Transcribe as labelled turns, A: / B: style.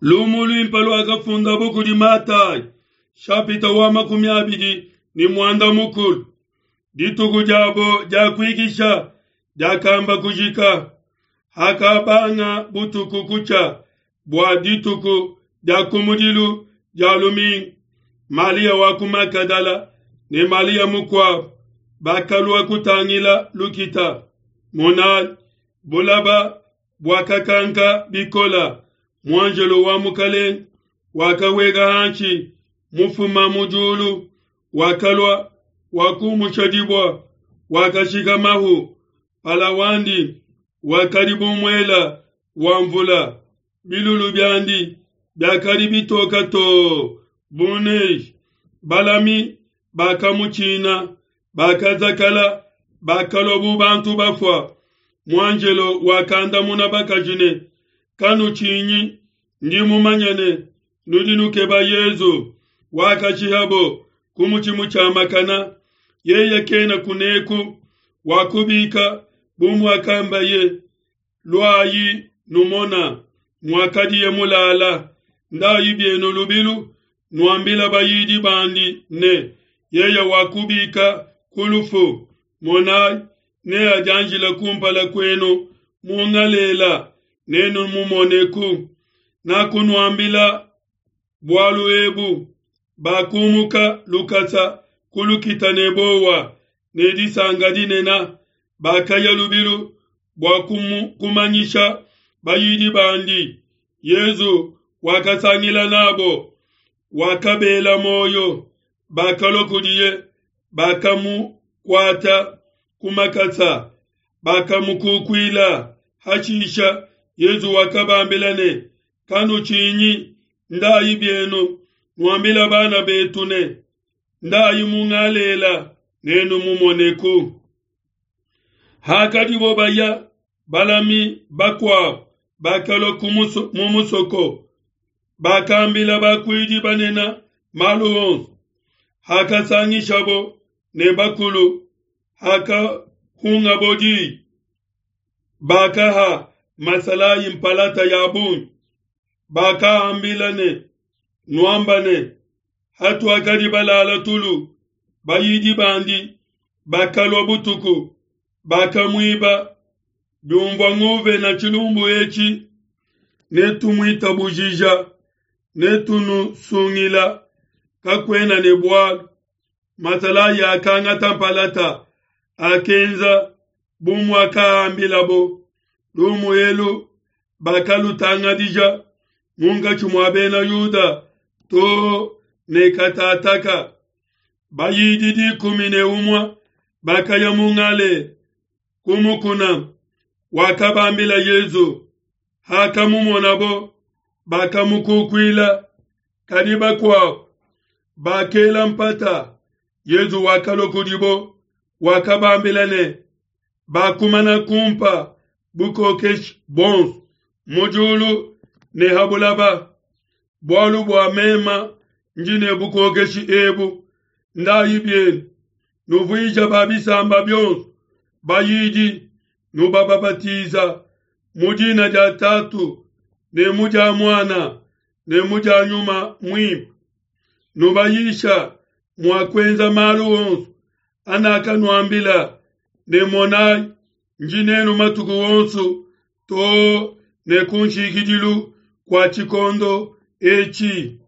A: Lumu luimpe luakafundabo kudi Matayi, shapita wa 28. Dituku diabo dia kuikisha diakamba kujika. Hakabanga butuku kutshia bua dituku dia kumudilu dia lumingu, Malia wa ku Magadala ne Malia mukuabo bakalua kutangila lukita. Monayi, bulaba buakakanka bikola, muanjelo wa Mukelenge wakaweka hanshi mufuma mu diulu, wakalua, wakumusha dibua, wakashika mahu pala wandi wakadi bu muela wa mvula, bilulu biandi biakadi bitoka too bu neige. Balami bakamutshina, bakazakala, bakalua bu bantu bafua. Muanjelo wakandamuna bakaji ne, Kanutshinyi, ndi mumanye ne, nudi nukeba Yezu wakashihabo ku mutshi mutshiamakana. Yeye kena kuneku, wakubika bu muakambaye. Luayi numona muakadiye mulala. Ndayi bienu lubilu, nuambila bayidi bandi ne, yeye wakubika ku lufu. Monayi, neadianjile kumpala kuenu mu Ngalela, nenumumoneku. Nakunuambila bualu ebu. Bakumuka lukasa ku lukita ne bowa ne disanka dinene, bakaya lubilu bua kumanyisha bayidi bandi. Yezu wakasangila nabo, wakabela muoyo. Bakalua kudiye, bakamukuata ku makasa, bakamukukuila. Hashisha Yezu wakabambila ne, Kanutshinyi, ndayi bienu, nuambila bana betu ne, ndayi mu Ngalela, nenumumoneku. Hakadibo baya, balami bakuabo bakalua mu musoko, bakambila bakuidi banene malu onso. Hakasangishabo ne bakulu, hakahungabo di, bakaha masalayi mpalata ya bungi. Bakaambila ne, Nuamba ne, hatuakadi balala tulu, bayidi bandi bakalua butuku, bakamuiba. Biumvua nguvena tshilumbu etshi, netumuitabujija, netunusungila, kakuena ne bualu. Masalayi akangata mpalata, akenza bu muakaambilabo. Lumu elu bakalutangadija munkatshi mua bena Yuda too ne katataka. Bayidi 11 bakaya mu Ngalela ku mukuna wakabambila Yezu. Hakamumonabo, bakamukukuila, kadi bakuabo bakela mpata. Yezu wakalua kudibo, wakabambila ne, Bakumana kumpa bukokeshi buonso mu diulu ne ha bulaba. Bualu bua mema ndi ne bukokeshi ebu, ndayi bienu, nuvuija ba bisamba bionso bayidi, nubabapatiza mu dina dia Tatu ne mu dia Muana ne mu dia Nyuma Muimpe, nubayisha mua kuenza malu onso anakanuambila, ne monayi, ndi nenu matuku onso too ne ku nshikidilu kua tshikondo etshi.